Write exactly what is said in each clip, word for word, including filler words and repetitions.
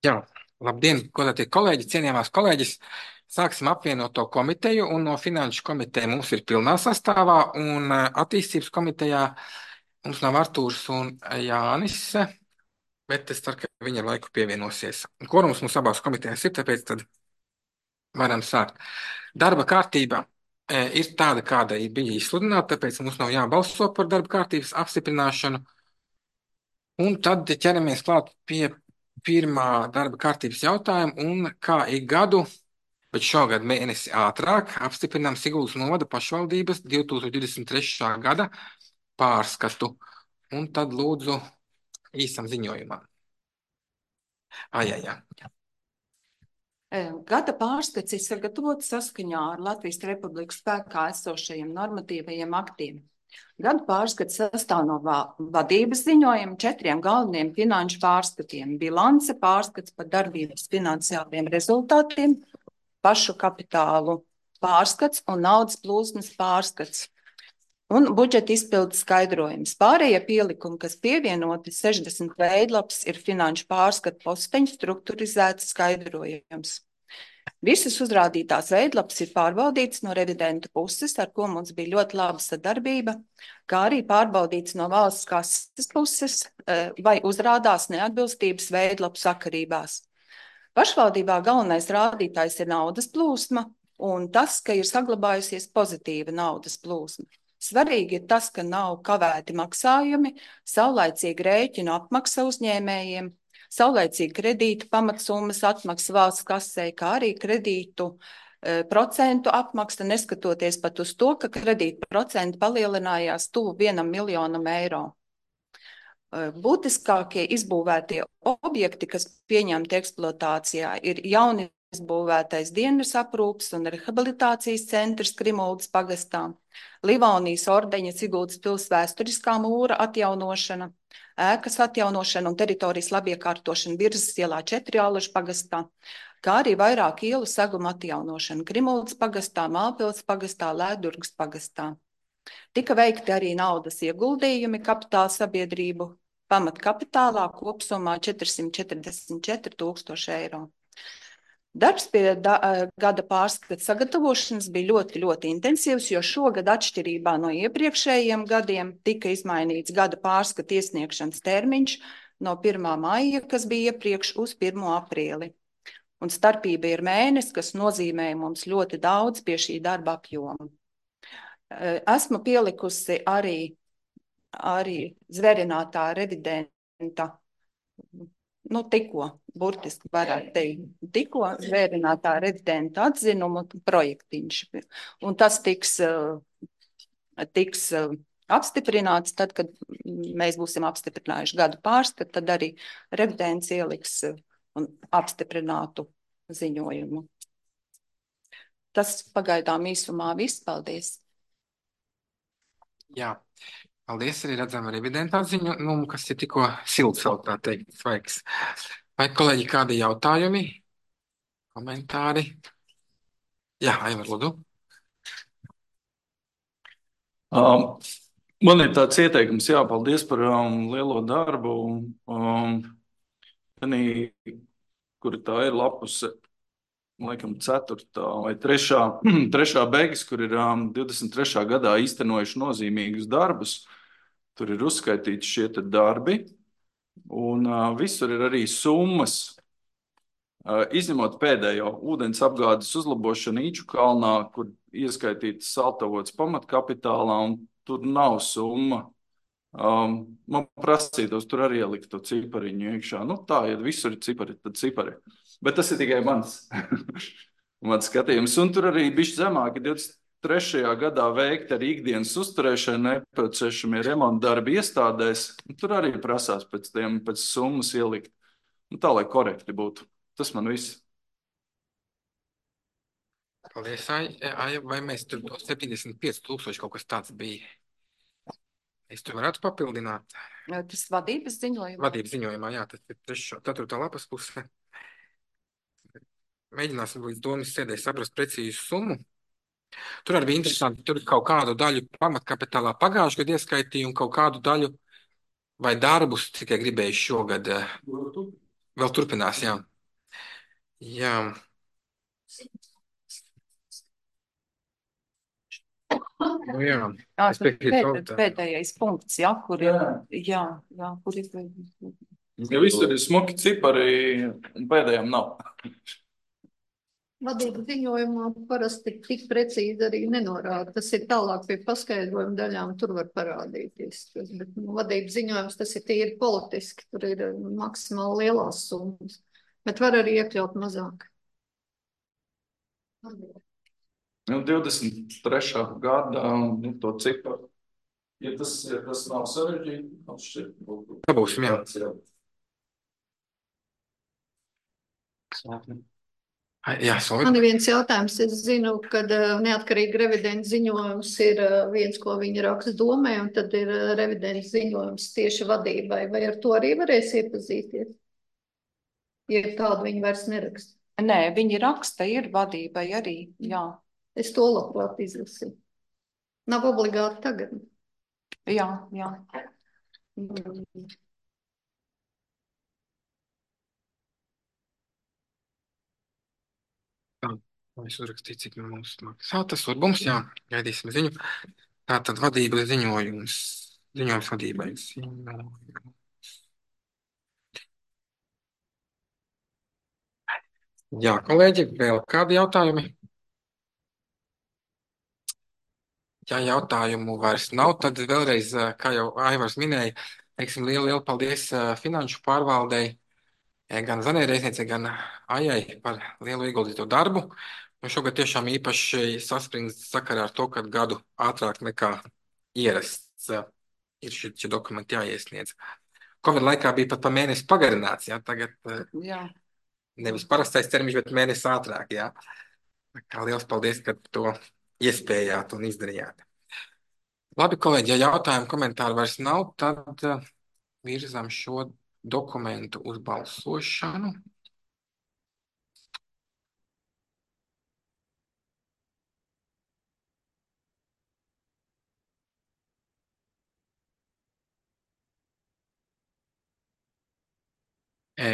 Jā, labdien, godātie kolēģi, cienījamās kolēģis. Sāksim apvienoto komiteju, un no finanšu komiteja mums ir pilnā sastāvā, un eh, attīstības komitejā mums nav Artūrs un Jānis, bet es ceru, ka viņi ar laiku pievienosies. Kvorums mums abās komitejās ir, tāpēc tad varam sākt. Darba kārtība eh, ir tāda, kāda ir bija izsludināta, tāpēc mums nav jābalso par darba kārtības apstiprināšanu. Un tad ķeramies klāt pie pirmā darba kārtības jautājuma, un kā ik gadu, bet šogad mēnesi ātrāk, apstiprinām Siguldas novada pašvaldības divtūkstoš divdesmit trešā gada pārskatu. Un tad lūdzu īsam ziņojumam. Ai, ai, ai. Gada pārskats ir sagatavots saskaņā ar Latvijas Republikas spēkā esošajiem normatīvajiem aktiem. Gada pārskats sastāv no vadības ziņojuma, četriem galveniem finanšu pārskatiem: bilance, pārskats par darbības finansiāliem rezultātiem, pašu kapitālu pārskats un naudas plūsmas pārskats un budžeta izpildes skaidrojums. Pārējie pielikumi, kas pievienoti sešdesmit veidlapas, ir finanšu pārskatu posteņu strukturizēts skaidrojums. Visas uzrādītās veidlapas ir pārbaudītas no revidentu puses, ar ko mums bija ļoti laba sadarbība, kā arī pārbaudītas no valsts kases puses, vai uzrādās neatbilstības veidlapu sakarībās. Pašvaldībā galvenais rādītājs ir naudas plūsma un tas, ka ir saglabājusies pozitīva naudas plūsma. Svarīgi ir tas, ka nav kavēti maksājumi, saulaicīgi rēķinu apmaksa uzņēmējiem, saulaicīgi kredītu pamatsummas atmaksa valsts kasē, kā arī kredītu e, procentu apmaksa, neskatoties pat uz to, ka kredītu procenti palielinājās tuvu vienam miljonam eiro. E, būtiskākie izbūvētie objekti, kas pieņemti eksploatācijā, ir jauni izbūvētais dienas aprūpes un rehabilitācijas centrs Krimuldas pagastā, Livonijas ordeņa Siguldas pils vēsturiskā mūra atjaunošana, ēkas atjaunošana un teritorijas labiekārtošana Birzas ielā četri Allažu pagastā, kā arī vairāk ielu seguma atjaunošana Krimuldas pagastā, Mālpils pagastā, Lēdurgas pagastā. Tika veikti arī naudas ieguldījumi kapitāla sabiedrību pamatkapitālā kopsumā četrsimt četrdesmit četri tūkstoši eiro. Darbs pie da, gada pārskata sagatavošanas bija ļoti, ļoti intensīvs, jo šogad atšķirībā no iepriekšējiem gadiem tika izmainīts gada pārskata iesniegšanas termiņš no pirmā maija, kas bija iepriekš, uz pirmo aprīli. Un starpība ir mēnesis, kas nozīmē mums ļoti daudz pie šī darba apjoma. Esmu pielikusi arī, arī zverinātā revidenta, nu tikko, burtiski varētu teikt, tikko zvērinātā revidenta atzinumu projektiņš. Un tas tiks, tiks apstiprināts tad, kad mēs būsim apstiprinājuši gadu pārskatu, tad arī revidents ieliks un apstiprinātu ziņojumu. Tas pagaidām īsumā viss. Paldies. Jā, paldies, arī redzam revidenta atziņojumu, kas ir tikko silts, tā teikt, svaigs. Vai kolēģi kādi jautājumi, komentāri? Jā, Aivar, lūdzu. Um, man ir tāds ieteikums, jā, paldies par um, lielo darbu. Um, tenī, kur tā ir lapuse, laikam ceturtā vai trešā, trešā beigas, kur ir um, divdesmit trešā gadā īstenojuši nozīmīgus darbus. Tur ir uzskaitīti šie te darbi. Un uh, visur ir arī summas, uh, izņemot pēdējo ūdens apgādes uzlabošanu Īču kalnā, kur ieskaitīts saltavots pamatkapitālā, un tur nav summa. Um, man prasītos tur arī ielikt to cipariņu iekšā. Nu tā, ja visur ir cipari, tad cipari. Bet tas ir tikai mans, mans skatījums. Un tur arī bišķi zemāk ir divdesmit trešajā gadā veikti arī ikdienas uzturēšana nepieciešamie remonta darbi iestādēs. Tur arī prasās pēc tiem, pēc summas ielikt. Nu, tā, lai korekti būtu. Tas man viss. Paldies, Ai, vai mēs tur septiņdesmit pieci tūkstoši kaut kas tāds bija? Es tur varētu papildināt. Tas vadības ziņojumā? Vadības ziņojumā, jā, tas ir trešā, ceturtā lapas puse. Mēģināsim līdz domas sēdē saprast precīzu summu. Tur arī bija interesanti, tur kaut kādu daļu pamatkapitālā pagājušajā gadā ieskaitīja un kaut kādu daļu vai darbus tikai gribēju šogad. Vēl turpinās, jā. Jā. Nu, jā. Jā, Es piekrītu pēd, Robertam. pēdējais punkts, jā, kur ir, jā, jā, kur ir. Ja visur ir smuki cipari, un pēdējiem nav. Vadības ziņojumā parasti tik precīzi arī nenorāda. Tas ir tālāk pie paskaidrojuma daļām, tur var parādīties. Bet nu, vadības ziņojums tas ir tīri politiski, tur ir maksimāli lielās summas. Bet var arī iekļaut mazāk. Nu, divdesmit trešā gadā nu, to ciparu. Ja tas, ja tas nav sarežģīti, man šķiet, būtu. Dabūsim, jā. Jā, Solvita. Man ir viens jautājums. Es zinu, ka uh, neatkarīgi revidents ziņojums ir uh, viens, ko viņi raksta domē, un tad ir uh, revidents ziņojums tieši vadībai. Vai ar to arī varēs iepazīties? Ja tādu viņi vairs neraksta. Nē, viņi raksta, ir vadībai arī, jā. Es to labprāt izlasīju. Nav obligāti tagad. Jā, jā. Es uzrakstīju, cik mums maksā. Tas var mums, jā, gaidīsim ziņu. Tātad vadības ziņojums. Ziņojums vadībai. Ziņojums. Jā, kolēģi, vēl kādi jautājumi? Ja jautājumu vairs nav, tad vēlreiz, kā jau Aivars minēja, teiksim, lielu, lielu paldies finanšu pārvaldei, gan Zanērēzniecei, gan Aijai par lielu ieguldīto darbu. Un šogad tiešām īpaši saspringts sakarā ar to, ka gadu ātrāk nekā ierasts ir šie, šie dokumenti jāiesniedz. Covid laikā bija pat pa mēnesi pagarināts, jā, tagad Jā. nevis parastais termiņš, bet mēnesi ātrāk, jā. Kā liels paldies, ka to iespējāt un izdarījāt. Labi, kolēģi, ja jautājumu komentāru vairs nav, tad virzām šo dokumentu uz balsošanu.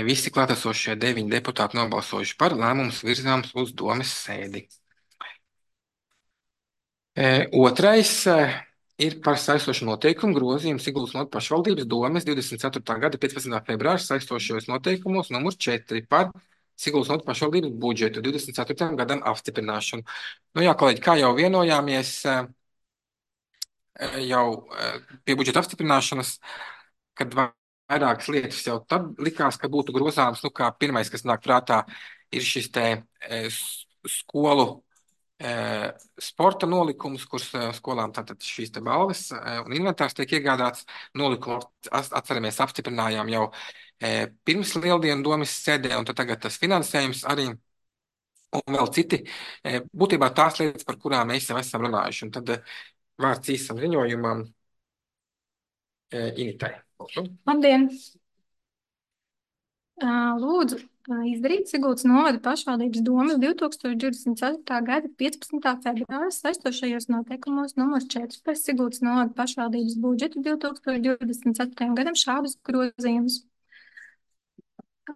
Visi klātesošie deviņi deputāti nobalsojuši par, lēmums virzāms uz domes sēdi. Otrais ir par saistošu noteikumu grozījumu Siguldas novadas pašvaldības domes divdesmit ceturtā gada piecpadsmitā februāra saistošajos noteikumos numur četri par Siguldas novadas pašvaldības budžetu divdesmit ceturtajam gadam apstiprināšanu. Nu jā, kolēģi, kā jau vienojāmies jau pie budžeta apstiprināšanas, kad vairākas lietas jau tad likās, ka būtu grozāms, nu kā pirmais, kas nāk prātā, ir šis te skolu sporta nolikums, kuras skolām tātad šīs te balvas un inventārs tiek iegādāts. Nolikumu atceramies apstiprinājām jau pirms lieldienu domas sēdē, un tad tagad tas finansējums arī un vēl citi. Būtībā tās lietas, par kurām mēs jau esam runājuši. Un tad vārds īsam ziņojumam Initai. Labdien! Lūdzu izdarīt Siguldas novada pašvaldības domas divtūkstoš divdesmit ceturtā gada piecpadsmitā februāra saistošajos noteikumos numurs četri par Siguldas novada pašvaldības budžetu divtūkstoš divdesmit ceturtajam gadam šādus grozījumus.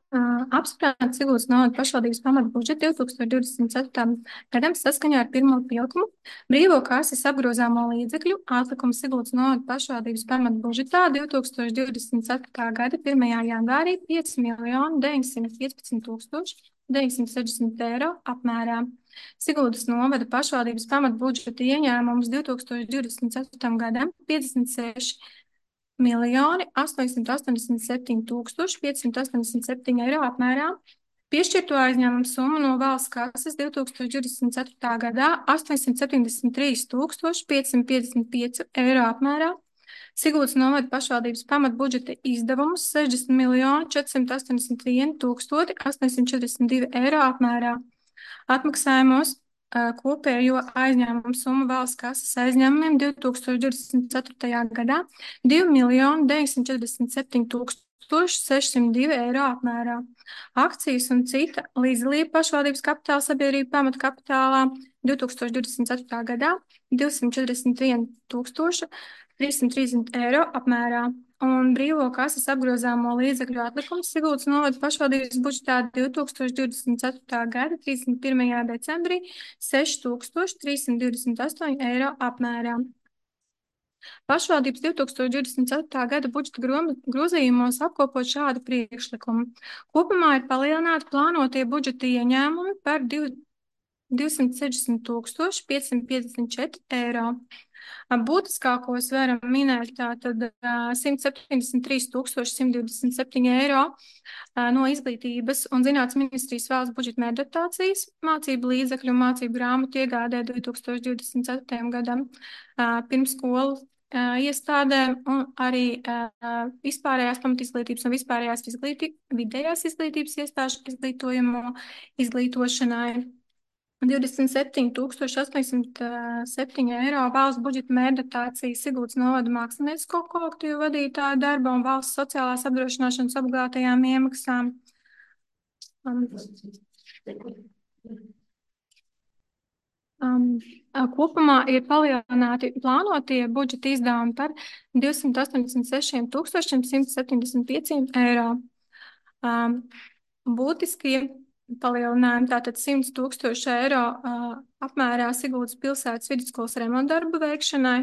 Apspriezt Siguldas novada pašvaldības pamata budžetu divtūkstoš divdesmit ceturtajam gadam saskaņā ar pirmo pielikumu brīvo kases apgrozāmo līdzekļu atlikumu Siguldas novada pašvaldības pamata budžetā divtūkstoš divdesmit ceturtā gada pirmajā janvārī pieci miljoni deviņsimt piecpadsmit tūkstoši deviņsimt sešdesmit eiro apmērā. Siguldas novada pašvaldības pamata budžeta ieņēmums divtūkstoš divdesmit ceturtajam gadam piecdesmit seši miljoni astoņsimt astoņdesmit septiņi tūkstoši piecsimt astoņdesmit septiņi eiro apmērā. Piešķirto aizņēmumu summu no valsts kases divtūkstoš divdesmit ceturtā gadā astoņsimt septiņdesmit trīs tūkstoši piecsimt piecdesmit pieci eiro apmērā. Siguldas novada pašvaldības pamat budžeta izdevumus sešdesmit miljoni četrsimt astoņdesmit viens tūkstoši astoņsimt četrdesmit divi eiro apmērā. Atmaksājumos kopējo aizņēmumu summu valsts kases aizņēmumiem divtūkstoš divdesmit ceturtajā gadā divi miljoni deviņsimt četrdesmit septiņi tūkstoši sešsimt divi eiro apmērā. Akcijas un cita līdzdalība pašvaldības kapitāla sabiedrība pamata kapitālā divtūkstoš divdesmit ceturtā gadā divsimt četrdesmit viens tūkstoši trīssimt trīsdesmit eiro apmērā. un brīvo kases apgrozāmo līdzekļu atlikums Siguldas novada pašvaldības budžetā divi tūkstoši divdesmit ceturtā gada trīsdesmit pirmajā decembrī seši tūkstoši trīssimt divdesmit astoņi eiro apmērā. Pašvaldības divi tūkstoši divdesmit ceturtā gada budžeta grozījumos apkopot šādu priekšlikumu. Kopumā ir palielināti plānotie budžeta ieņēmumi par divsimt sešdesmit tūkstoši piecsimt piecdesmit četri eiro. Būtiskākos varam minēt tātad simt septiņdesmit trīs tūkstoši simt divdesmit septiņi eiro no izglītības un zinātnes ministrijas valsts budžeta mērdotācijas, mācību līdzekļu un mācību grāmatu iegādē divi tūkstoši divdesmit ceturtajam gadam, pirmsskolu iestādēm un arī vispārējās pamatizglītības un vispārējās izglītī, vidējās izglītības iestāžu izglītojamo izglītošanai. divdesmit septiņi tūkstoši astoņsimt septiņi eiro valsts budžeta mērdotācija Siguldas novada māksliniecisko kolektīvu vadītāju darba un valsts sociālās apdrošināšanas obligātajām iemaksām. Um, um, kopumā ir palielināti plānotie budžeta izdevumi par divsimt astoņdesmit sešiem tūkstošiem simt septiņdesmit pieciem eiro. Um, būtiskie palielinājumi tātad simt tūkstoši eiro uh, apmērā Siguldas pilsētas vidusskolas remontdarbu veikšanai,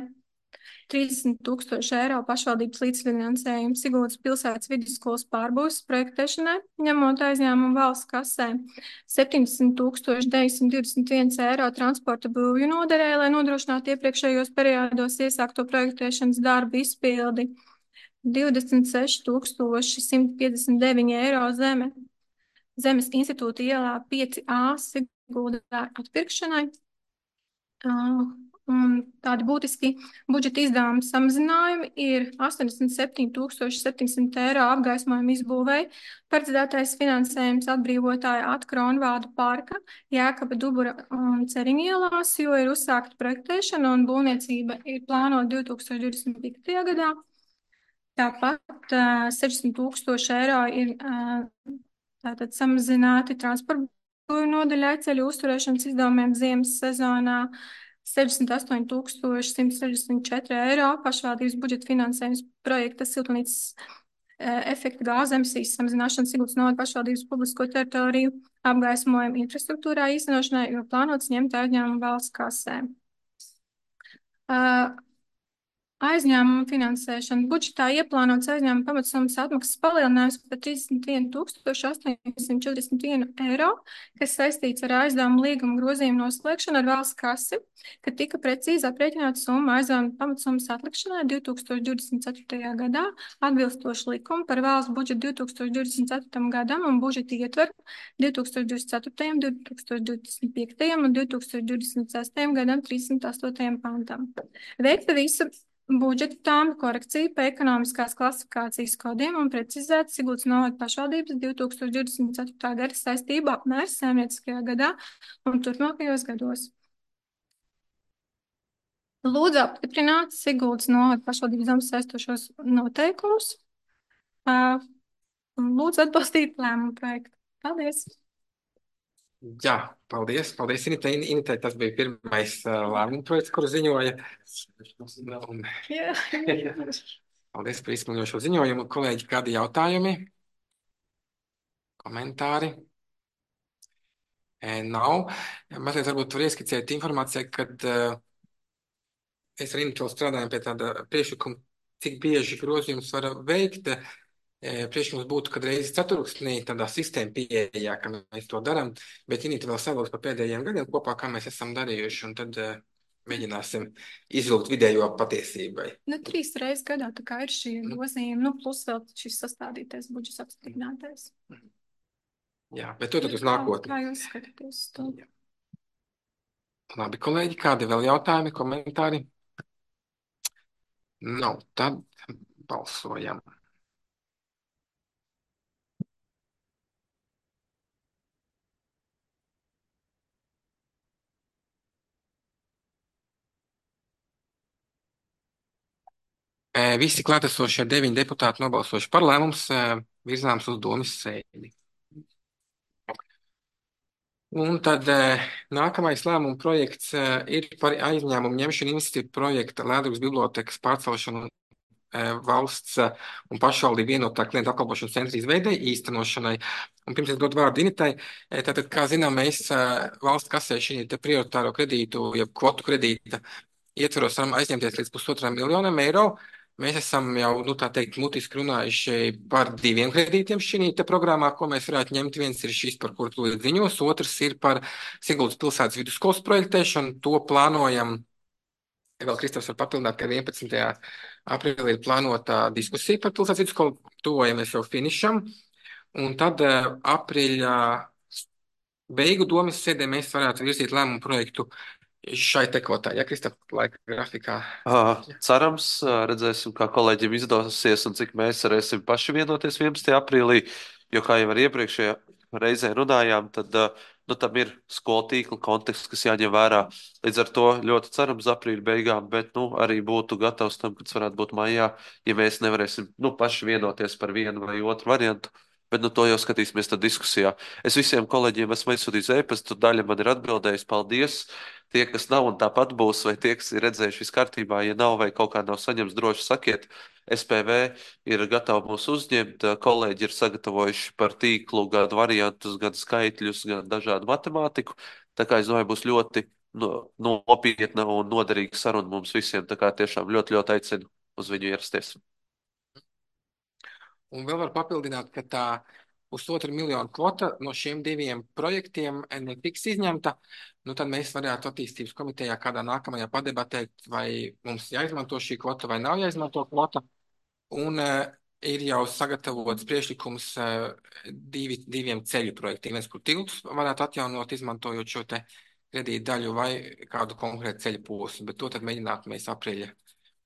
trīsdesmit tūkstoši eiro pašvaldības līdzfinansējumu Siguldas pilsētas vidusskolas pārbūves projektēšanai, ņemot aizņēmumu valsts kasē, septiņdesmit tūkstoši deviņsimt divdesmit viens eiro transporta būvju noderē, lai nodrošinātu iepriekšējos periodos iesākto projektēšanas darbu izpildi, divdesmit seši tūkstoši simt piecdesmit deviņi eiro zeme. Zemes institūta ielā pieci A Siguldā atpirkšanai. Uh, un tādi būtiski budžeta izdevuma samazinājumi ir astoņdesmit septiņi tūkstoši septiņsimt eiro apgaismojuma izbūvēi, paredzētais finansējums atbrīvotāja Atkronvādu parka, Jēkaba Dubura un Ceriņa ielās, jo ir uzsākta projektēšana un būvniecība ir plānota divi tūkstoši divdesmit piektajā gadā. Tāpat uh, sešdesmit tūkstoši eiro ir uh, tātad samazināti transporta nodaļai ceļu uzturēšanas izdevumiem ziemas sezonā, sešdesmit astoņi tūkstoši simt sešdesmit četri eiro pašvaldības budžeta finansējums projekta siltumnīcas e, efekta gāzu emisijas samazināšana Siguldas novada pašvaldības publisko teritoriju apgaismojumu infrastruktūrā īstenošanai, jo plānots ņemt aizņēmumu valsts kasē. Uh, Aizņēmumu finansēšana. Budžetā ieplānots aizņēmumu pamatsummas atmaksas palielinājums par trīsdesmit vienu tūkstoši astoņsimt četrdesmit vienu eiro, kas saistīts ar aizdevumu līguma grozījumu noslēgšanu ar valsts kasi, kad tika precīzi aprēķināta summa aizdevumu pamatsummas atlikšanai divi tūkstoši divdesmit ceturtajā gadā, atbilstoši likumu par valsts budžetu divi tūkstoši divdesmit ceturtajam gadam un budžeta ietveru divi tūkstoši divdesmit ceturtajam, divi tūkstoši divdesmit piektajam un divi tūkstoši divdesmit sestajam gadam trīssimt astotajam pantam. Veikta visa budžeta tāma korekcija pa ekonomiskās klasifikācijas kodiem un precizēt Siguldas novada pašvaldības divi tūkstoši divdesmit ceturtā gada saistību apmērs saimnieciskajā gadā un turpmākajos gados. Lūdzu apstiprināt Siguldas novada pašvaldības zemes saistošos noteikumus. Lūdzu atbalstīt lēmumu projektu. Paldies! Jā, paldies. Paldies, Initei. Initei tas bija pirmais uh, lēmuma projekts, kuru ziņoja. Un... Jā. Paldies par izsmeļošo ziņojumu. Kolēģi, kādi jautājumi? Komentāri? E, nav. Mazliet varbūt var ieskicēt informāciju, kad uh, es ar Initu strādājam pie tāda priekšlikuma, cik bieži grozījums var veikt. Priekšlikums būtu, kad reizes ceturksnī tādā sistēma pieejā, ka mēs to darām, bet Inita vēl savilks par pēdējiem gadiem kopā, kā mēs esam darījuši, un tad uh, mēģināsim izvilkt vidējo patiesībai. Nu, trīs reizes gadā tā kā ir šī grozījuma, nu, plus vēl šis sastādītais budžets apstiprinātais. Jā, bet to tad uz nākotni. Kā jūs skatāties to? Jā. Labi, kolēģi, kādi vēl jautājumi, komentāri? Nav, tad balsojam. Visi klātesošie deviņi deputāti nobalsojuši par lēmums virzāms uz domas sēdi. Un tad nākamais lēmuma projekts ir par aizņēmumu ņemšanu iniciatīvu projekta Lēdrugas bibliotekas pārcelšanu valsts un pašvaldību vienotā klientu apkalpošanas centra izveidei, īstenošanai. Un pirms es dodu vārdu Initai, tātad, kā zinām, mēs valsts kasē šī prioritāro kredītu, jeb kvotu kredīta ietvaros varam aizņemties līdz pusotram miljonam eiro. Mēs esam jau, nu, tā teikt, mutiski runājuši par diviem kredītiem šī te programmā, ko mēs varētu ņemt. Viens ir šis, par kuru tūlīt ziņos, otrs ir par Siguldas pilsētas vidusskolas projektēšanu. To plānojam, vēl Kristofs var papildināt, ka vienpadsmitajā aprīlī ir plānota diskusija par pilsētas vidusskolu, tuvojamies jau finišam. Un tad aprīļa beigu domas sēdē mēs varētu virzīt lēmumu projektu šai te kvotā, ja, Kristap, laika grafikā? Uh, cerams, uh, redzēsim, kā kolēģiem izdosies un cik mēs varēsim paši vienoties vienpadsmitajā aprīlī, jo, kā jau ar iepriekšējā reizē runājām, tad uh, nu, tam ir skolu tīkla konteksts, kas jāņem vērā. Līdz ar to ļoti cerams aprīļa beigām, bet nu, arī būtu gatavs tam, kad tas varētu būt maijā, ja mēs nevarēsim nu, paši vienoties par vienu vai otru variantu. Bet nu, to jau skatīsimies tad diskusijā. Es visiem kolēģiem esmu aizsūtījis e-pastu, daļa man ir atbildējusi, paldies. Tie, kas nav un tāpat būs, vai tie, kas ir redzējuši viss kārtībā, ja nav vai kaut kā nav saņemts, droši sakiet. S P V ir gatava mūs uzņemt, kolēģi ir sagatavojuši par tīklu gan variantus, gan skaitļus, gan dažādu matemātiku. Tā kā es domāju, būs ļoti no, nopietna un noderīga saruna mums visiem. Tā kā tiešām ļoti, ļoti aicinu uz viņu ierasties. Un vēl var papildināt, ka tā pusotra miljonu kvota no šiem diviem projektiem netiks izņemta. Nu, tad mēs varētu attīstības komitejā kādā nākamajā padebatēt, vai mums jāizmanto šī kvota vai nav jāizmanto kvota. Un uh, ir jau sagatavots priekšlikums uh, divi, diviem ceļu projektiem. Viens, kur tiltus varētu atjaunot, izmantojot šo te kredītu daļu vai kādu konkrētu ceļu posmu. Bet to tad mēģinātu mēs aprīļa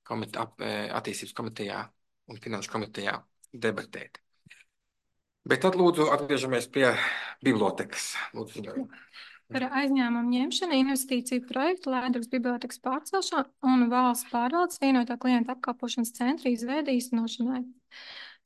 komite, ap, attīstības komitejā un finanšu komitejā debatēt. Bet tad lūdzu atgriežamies pie bibliotekas. Lūdzu, ziņojumu. Par aizņēmumu ņemšanu, investīciju projektu, Lēdrugas bibliotekas pārcelšanu un valsts pārvaldes vienotā klienta apkalpošanas centra izveidi īstenošanai.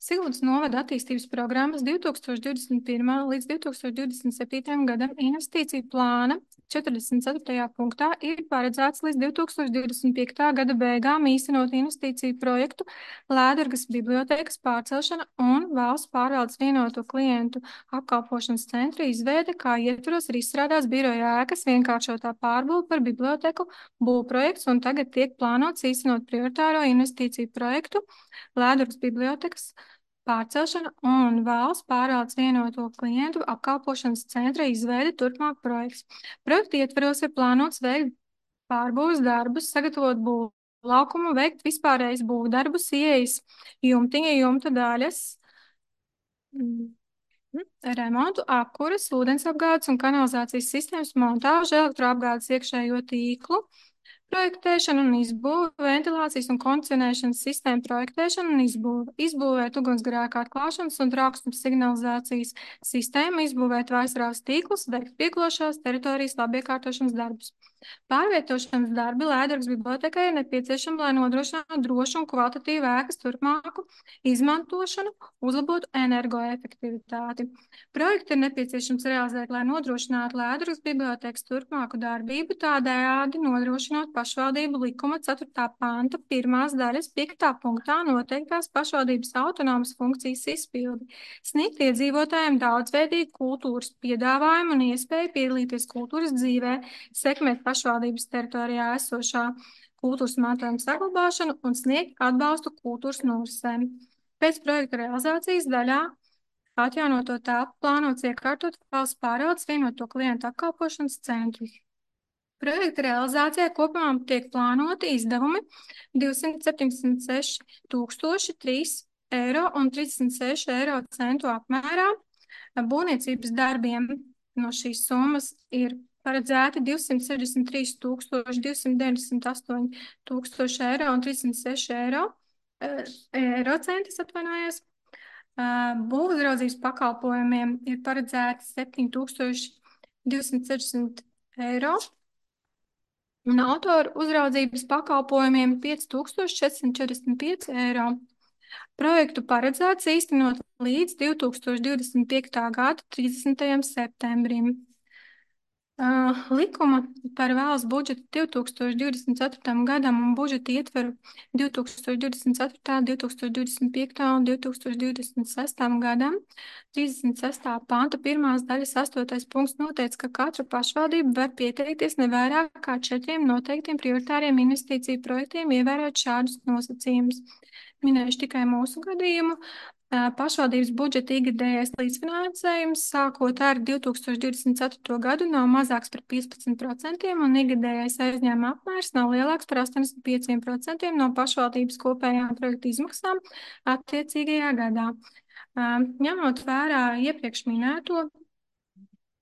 Siguldas novada attīstības programmas divi tūkstoši divdesmit pirmā līdz divi tūkstoši divdesmit septītajam gadam investīciju plāna četrdesmit ceturtajā punktā ir paredzēts līdz divi tūkstoši divdesmit piektā gada beigām īstenot investīciju projektu Lēdrugas bibliotekas pārcelšana un valsts pārvaldes vienoto klientu apkalpošanas centra izveide, kā ietvaros ir izstrādāts biroja ēkas vienkāršotā pārbūve par biblioteku būvprojekts un tagad tiek plānots īstenot prioritāro investīciju projektu Lēdrugas bibliotekas pārcelšana un valsts pārvaldes vienoto klientu apkalpošanas centra izveide turpmāk projekts. Projekta ietvaros ir plānots veikt pārbūves darbus, sagatavot būvu laukumu, veikt vispārējais būvdarbus, ieejas jumtiņa, jumta daļas, remontu, apkuras, ūdensapgādes un kanalizācijas sistēmas montāžu, elektroapgādes iekšējo tīklu, projektēšana un izbūve, ventilācijas un kondicionēšanas sistēma projektēšana un izbūve, izbūvēt ugunsgrēku atklāšanas un trauksmes signalizācijas sistēmu, izbūvēt vaisrāvas tīklus, veikt pieklošās teritorijas labiekārtošanas darbus. Pārvietošanas darbi Lēdrugas bibliotekai ir nepieciešami, lai nodrošinātu drošu un kvalitatīvu ēkas turpmāku izmantošanu, uzlabotu energoefektivitāti. Projektu ir nepieciešams realizēt, lai nodrošinātu Lēdrugas bibliotekas turpmāku darbību, tādējādi nodrošinot pašvaldību likuma ceturtā panta pirmās daļas piektā punktā noteiktās pašvaldības autonomas funkcijas izpildi, sniegt iedzīvotājiem daudzveidīgu kultūras piedāvājumu un iespēju piedalīties kultūras dzīvē, sekmēt pašvaldības teritorijā esošā kultūras mantojuma saglabāšanu un sniegt atbalstu kultūras norisēm. Pēc projekta realizācijas daļā atjaunoto telpu plānots iekārtot valsts pārvaldes vienoto klientu apkalpošanas centru. Projekta realizācijā kopumā tiek plānoti izdevumi divsimt septiņdesmit seši tūkstoši trīs eiro un trīsdesmit seši eiro centu apmērā. Būvniecības darbiem no šīs summas ir paredzēti divsimt sešdesmit trīs tūkstoši divsimt deviņdesmit astoņi tūkstoši eiro un trīsdesmit seši eiro, eiro centis atvainojos. Būvuzraudzības pakalpojumiem ir paredzēti septiņi tūkstoši divsimt sešdesmit eiro un autoru uzraudzības pakalpojumiem pieci tūkstoši četrsimt četrdesmit pieci eiro. Projektu paredzēts īstenot līdz divi tūkstoši divdesmit piektā gada trīsdesmitajam septembrim. Uh, likuma par valsts budžetu divi tūkstoši divdesmit ceturtajam gadam un budžeta ietveru divi tūkstoši divdesmit ceturtajam, divi tūkstoši divdesmit piektajam un divi tūkstoši divdesmit sestajam gadam. trīsdesmit sestā panta pirmās daļas astotais punkts noteica, ka katra pašvaldība var pieteikties ne vairāk kā četriem noteiktiem prioritāriem investīciju projektiem, ievērot šādus nosacījumus. Minējuši tikai mūsu gadījumu. Pašvaldības budžeta ikgadējais līdzfinansējums sākot ar divi tūkstoši divdesmit ceturto gadu nav mazāks par piecpadsmit procentiem un ikgadējais aizņēmuma apmērs nav lielāks par astoņdesmit pieciem procentiem no pašvaldības kopējām projektu izmaksām attiecīgajā gadā. Ņemot vērā iepriekš minēto,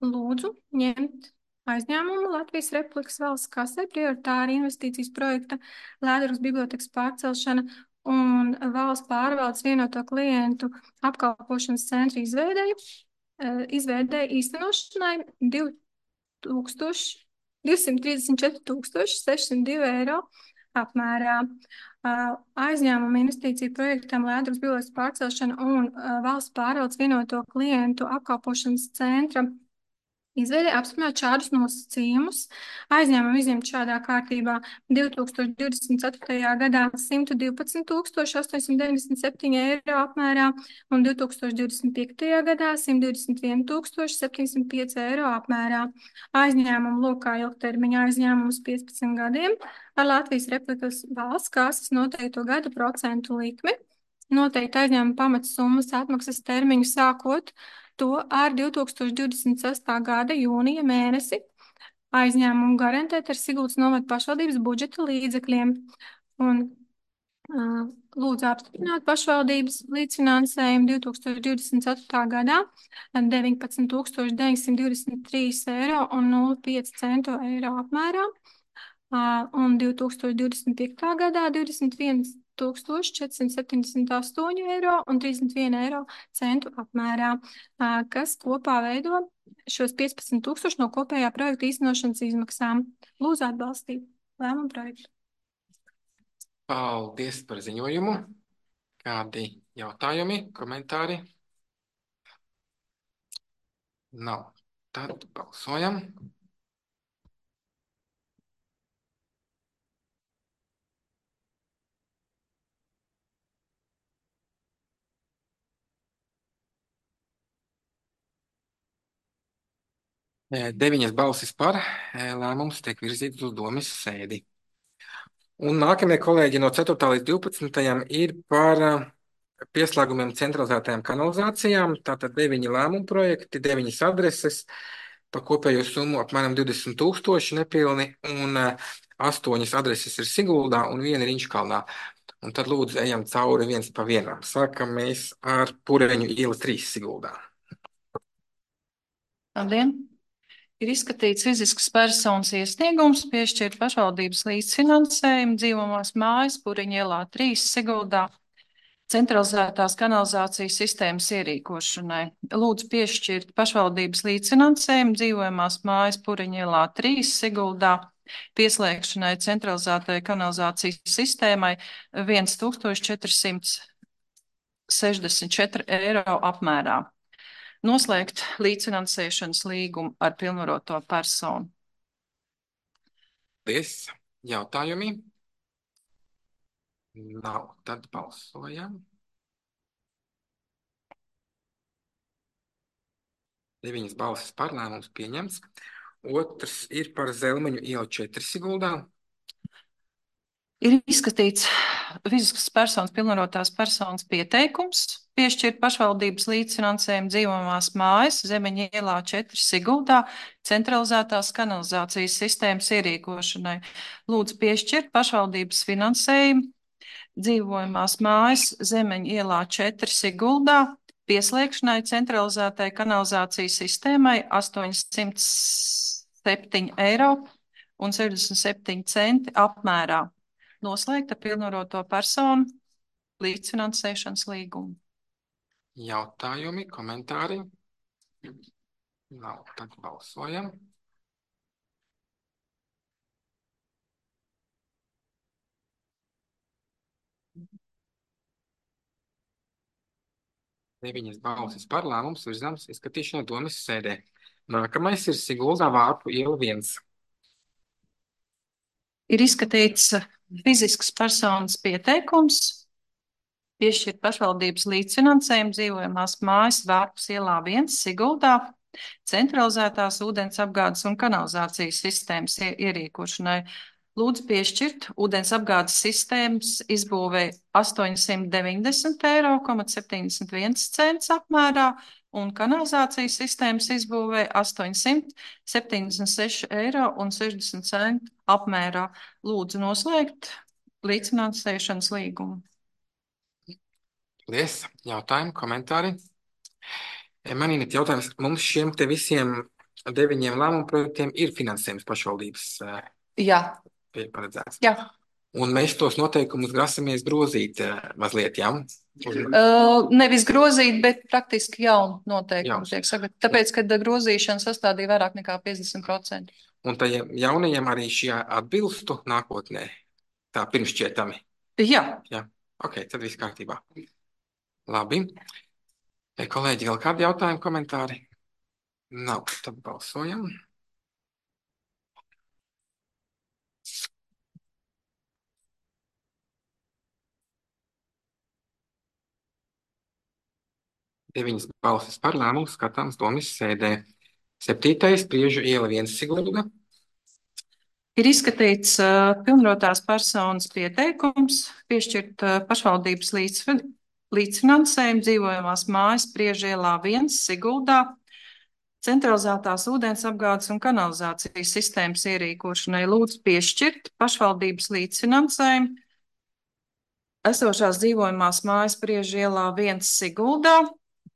lūdzu ņemt aizņēmumu Latvijas Republikas valsts kasē prioritāra investīcijas projekta Lēdruvas bibliotekas pārcelšana un valsts pārvaldes vienoto klientu apkalpošanas centra izveidēja, izveidēja īstenošanai divsimt trīsdesmit četri tūkstoši sešsimt divi eiro apmērā. Aizņēmuma investīciju projektam Lēdruvas bibliotekas pārcelšana un valsts pārvaldes vienoto klientu apkalpošanas centra izveidē apstiprināt šādus nosacījumus. Aizņēmumu izņemt šādā kārtībā divi tūkstoši divdesmit ceturtajā gadā simt divpadsmit tūkstoši astoņsimt deviņdesmit septiņi eiro apmērā un divi tūkstoši divdesmit piektajā gadā simt divdesmit viens tūkstoši septiņsimt pieci eiro apmērā. Aizņēmumu lokā ilgtermiņa aizņēmums piecpadsmit gadiem ar Latvijas Republikas valsts kases noteikto gada procentu likmi. Noteikti aizņēmuma pamatsummas atmaksas termiņu sākot to ar divi tūkstoši divdesmit sestā gada jūnija mēnesi aizņēmumu garantēt ar Siguldas novada pašvaldības budžeta līdzekļiem. Un uh, lūdzu apstiprināt pašvaldības līdzfinansējumu divi tūkstoši divdesmit ceturtā gadā deviņpadsmit tūkstoši deviņsimt divdesmit trīs eiro un nulle pieci centu eiro apmērā. Uh, un divi tūkstoši divdesmit piektā gadā divdesmit viens tūkstoši četrsimt septiņdesmit astoņi eiro un trīsdesmit viens eiro centu apmērā, kas kopā veido šos piecpadsmit tūkstoši no kopējā projekta īstenošanas izmaksām. Lūdzu atbalstīt lēmumu projektu. Paldies par ziņojumu. Kādi jautājumi, komentāri? Nav. Tad balsojam. Deviņas balsis par, lēmums tiek virzīts uz domes sēdi. Un nākamie kolēģi no ceturtā līdz divpadsmitajam ir par pieslēgumiem centralizētajām kanalizācijām. Tātad deviņi lēmumu projekti, deviņas adreses par kopējo summu apmēram divdesmit tūkstoši nepilni un astoņas adreses ir Siguldā un viena ir Inčkalnā. Un tad lūdzu ejam cauri viens pa vienam. Sākam mēs ar Pureņu iela trīs Siguldā. Labdien! Ir izskatīts fiziskas personas iesniegums piešķirt pašvaldības līdzfinansējumu dzīvojamās mājas Pureņu ielā trīs Siguldā centralizētās kanalizācijas sistēmas ierīkošanai. Lūdzu piešķirt pašvaldības līdzfinansējumu dzīvojamās mājas Pureņu ielā trīs Siguldā pieslēgšanai centralizētajai kanalizācijas sistēmai tūkstoš četrsimt sešdesmit četri eiro apmērā. Noslēgt līdzfinansēšanas līgumu ar pilnvaroto personu. Paldies. Jautājumi? Nav. Tad balsojam. Deviņas balsis par, lēmums pieņemts. Otrs ir par Zelmeņu ielu četri Siguldā. Ir izskatīts fiziskas personas pilnvarotās personas pieteikums piešķirt pašvaldības līdzfinansējumu dzīvojamās mājas Zemeņa ielā četri Siguldā centralizētās kanalizācijas sistēmas ierīkošanai. Lūdzu piešķirt pašvaldības finansējumu dzīvojamās mājas Zemeņa ielā četri Siguldā pieslēgšanai centralizētai kanalizācijas sistēmai astoņsimt septiņi eiro un sešdesmit septiņi centi apmērā. Noslēgta pilnvaroto personu līdzfinansēšanas līgumu. Jautājumi, komentāri? Nav. Tad balsojam. Deviņas balsis par, lēmums virzāms izskatīšanai domes sēdē. Nākamais ir Siguldā Vārpu iela viens. Ir izskatīts fiziskas personas pieteikums, piešķirt pašvaldības līdzfinansējumu dzīvojamās mājas Vārpas ielā viens Siguldā, centralizētās ūdens apgādes un kanalizācijas sistēmas ierīkošanai. Lūdzu piešķirt ūdens apgādes sistēmas izbūvei astoņsimt deviņdesmit eiro, septiņdesmit viens cents apmērā un kanalizācijas sistēmas izbūvei astoņsimt septiņdesmit seši eiro un sešdesmit centi apmērā. Lūdzu noslēgt līdzfinansēšanas līgumu. Paldies. Jautājumi, komentāri? Man ir jautājums, mums šiem te visiem deviņiem lēmumu projektiem ir finansējums pašvaldības Jā. paredzēts. Jā. Un mēs tos noteikumus grasamies grozīt mazliet, jā? Uh, nevis grozīt, bet praktiski jaunu noteikumu Jauns. tiek sagatavot. Tāpēc, kad grozīšana sastādīja vairāk nekā piecdesmit procenti. Un tajiem jaunajiem arī šie atbilstu nākotnē, tā pirmšķietami. Jā. Jā, ok, tad viss kārtībā. Labi. Kolēģi, vēl kādi jautājumi, komentāri? Nav, tad balsojam. Deviņas balsis par lēmumu skatāms domas sēdē. Septītais Priežu iela viens Sigulda. Ir izskatīts uh, pilnvarotās personas pieteikums, piešķirt uh, pašvaldības līdzfin līdzfinansējumu dzīvojamās mājas Priežu ielā viens Siguldā, centralizētās ūdens apgādes un kanalizācijas sistēmas ierīkošanai. Lūdzu piešķirt pašvaldības līdzfinansējumu esošās dzīvojamās mājas Priežu ielā viens Siguldā,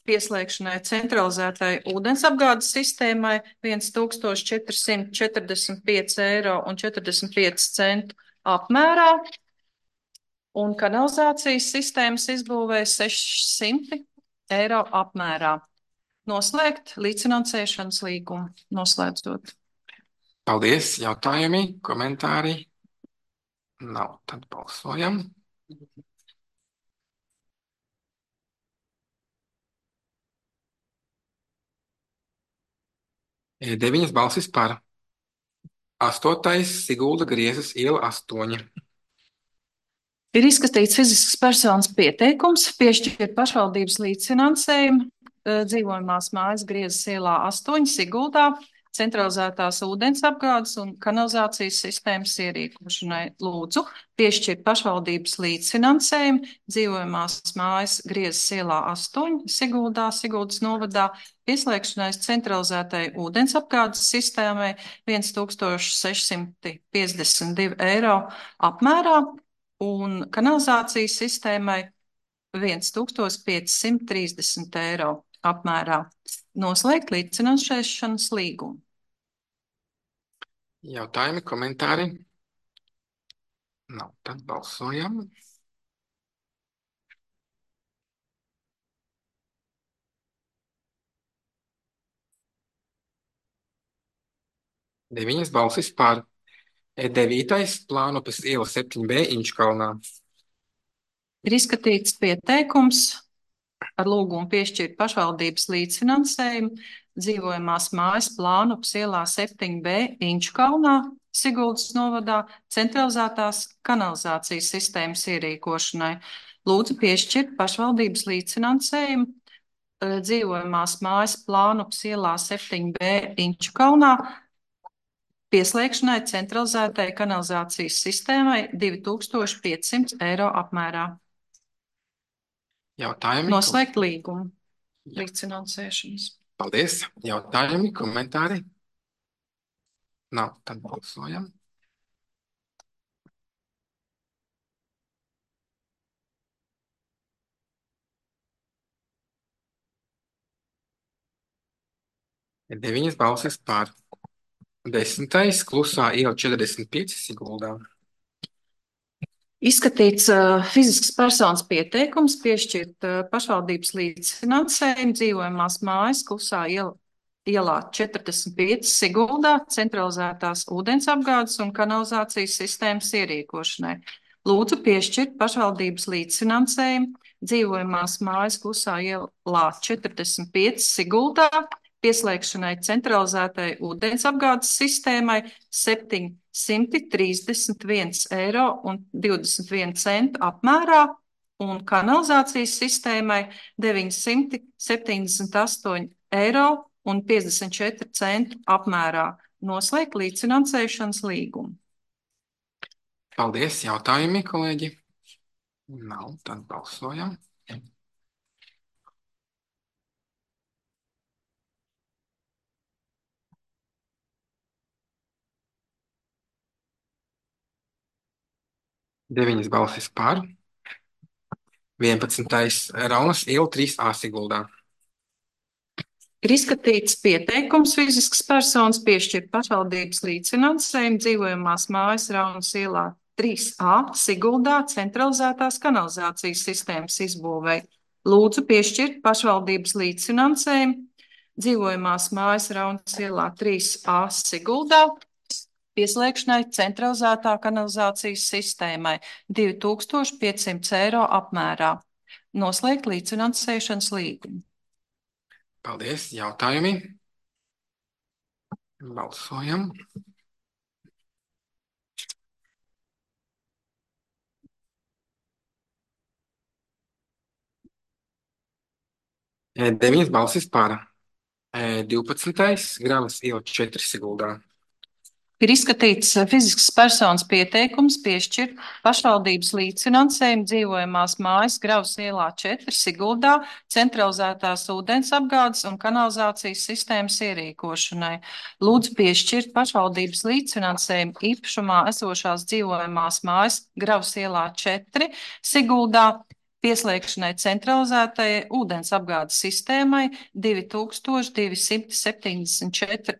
pieslēgšanai centralizētai ūdensapgādes sistēmai tūkstoš četri simti četrdesmit pieci eiro un četrdesmit pieci centi apmērā un kanalizācijas sistēmas izbūvē sešsimt eiro apmērā. Noslēgt līdzfinansēšanas līgumu, noslēdzot. Paldies, jautājumi, komentāri? Nav, tad balsojam. Deviņas balsis par. Astotais Sigulda Griezas iela astoņi. Ir izskatīts fiziskas personas pieteikums, piešķirt pašvaldības līdzfinansējumu dzīvojamās mājas Griezas ielā astoņi Siguldā, centralizētās ūdens apgādes un kanalizācijas sistēmas ierīkošanai. Lūdzu piešķirt pašvaldības līdzfinansējumu dzīvojamās mājas Griezas ielā astoņi Siguldā, Siguldas novadā, pieslēgšanai centralizētai ūdens apgādes sistēmai tūkstoš seši simti piecdesmit divi eiro apmērā un kanalizācijas sistēmai tūkstoš pieci simti trīsdesmit eiro apmērā. Noslēgt līdzfinansēšanas līgumu. Jautājumi, komentāri? Nav, tad balsojam. Deviņas balsis par. Devītais Plānupes iela septiņi B Inčkalnā. Ir izskatīts pieteikums ar lūgumu piešķirt pašvaldības līdzfinansējumu dzīvojamās mājas Plānupes ielā septiņi B Inčkalnā, Siguldas novadā, centralizētās kanalizācijas sistēmas ierīkošanai. Lūdzu piešķirt pašvaldības līdzfinansējumu dzīvojamās mājas Plānupes ielā septiņi B Inčkalnā, pieslēgšanai centralizētai kanalizācijas sistēmai tūkstoš pieci simti eiro apmērā. Jautājumi? Noslēgt līgumu līdzfinansēšanas. Paldies. Jautājumi, komentāri? Nav, tad balsojam. Deviņas balsis par. Desmitais Klusā iela četrdesmit pieci Siguldā. Izskatīts uh, fiziskas personas pieteikums, piešķirt uh, pašvaldības līdzfinansējumu dzīvojamās mājas Klusā iela, ielā četrdesmit pieci Siguldā, centralizētās ūdens apgādes un kanalizācijas sistēmas ierīkošanai. Lūdzu piešķirt pašvaldības līdzfinansējumu dzīvojamās mājas Klusā ielā četrdesmit pieci Siguldā, pieslēgšanai centralizētai ūdensapgādes sistēmai septiņsimt trīsdesmit viens eiro un divdesmit viena centa apmērā un kanalizācijas sistēmai deviņsimt septiņdesmit astoņi eiro un piecdesmit četri centi apmērā. Noslēgt līdzfinansēšanas līgumu. Paldies, jautājumi, kolēģi? Nav, tad balsojam. Deviņas balsis par. vienpadsmitais Raunas iela trīs A Siguldā. Ir izskatīts pieteikums fiziskas personas piešķirt pašvaldības līdzfinansējumu dzīvojamās mājas Raunas ielā trīs A Siguldā centralizētās kanalizācijas sistēmas izbūvei. Lūdzu piešķirt pašvaldības līdzfinansējumu dzīvojamās mājas Raunas ielā trīs A Siguldā pieslēgšanai centralizētā kanalizācijas sistēmai divi tūkstoši piecsimt eiro apmērā. Noslēgt līdzfinansēšanas līgumu. Paldies, jautājumi? Balsojam. Deviņas balsis par. divpadsmitais Gravas iela četri Siguldā. Ir izskatīts fiziskas personas pieteikums piešķirt pašvaldības līdzfinansējumu dzīvojamās mājas Gravas ielā četri Siguldā centralizētās ūdensapgādes un kanalizācijas sistēmas ierīkošanai. Lūdzu piešķirt pašvaldības līdzfinansējumu īpašumā esošās dzīvojamās mājas Gravas ielā četri Siguldā pieslēgšanai centralizētajai ūdensapgādes sistēmai divi tūkstoši divsimt septiņdesmit četri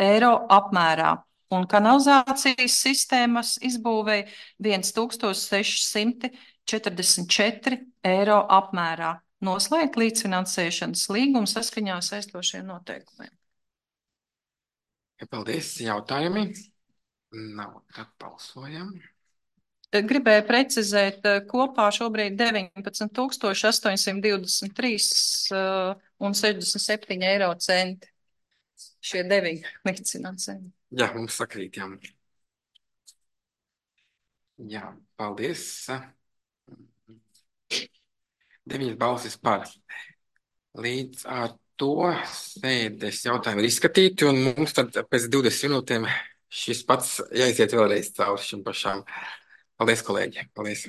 eiro apmērā un kanalizācijas sistēmas izbūvei viens tūkstoš seši simti četrdesmit četri eiro apmērā. Noslēgt līdzfinansēšanas līgumu saskaņā ar saistošiem noteikumiem. Paldies, jautājumi? Nav, tad balsojam. Gribēju precizēt, kopā šobrīd deviņpadsmit tūkstoši astoņsimt divdesmit trīs un sešdesmit septiņi eiro centi. Šie deviņi līdzfinansējumi. Jā, mums sakrīt, jā. Jā, paldies. Deviņas balsis par. Līdz ar to sēdes jautājumi ir izskatīti, un mums tad pēc divdesmit minūtēm šis pats jāiziet vēlreiz cauri šim pašām. Paldies, kolēģi. Paldies.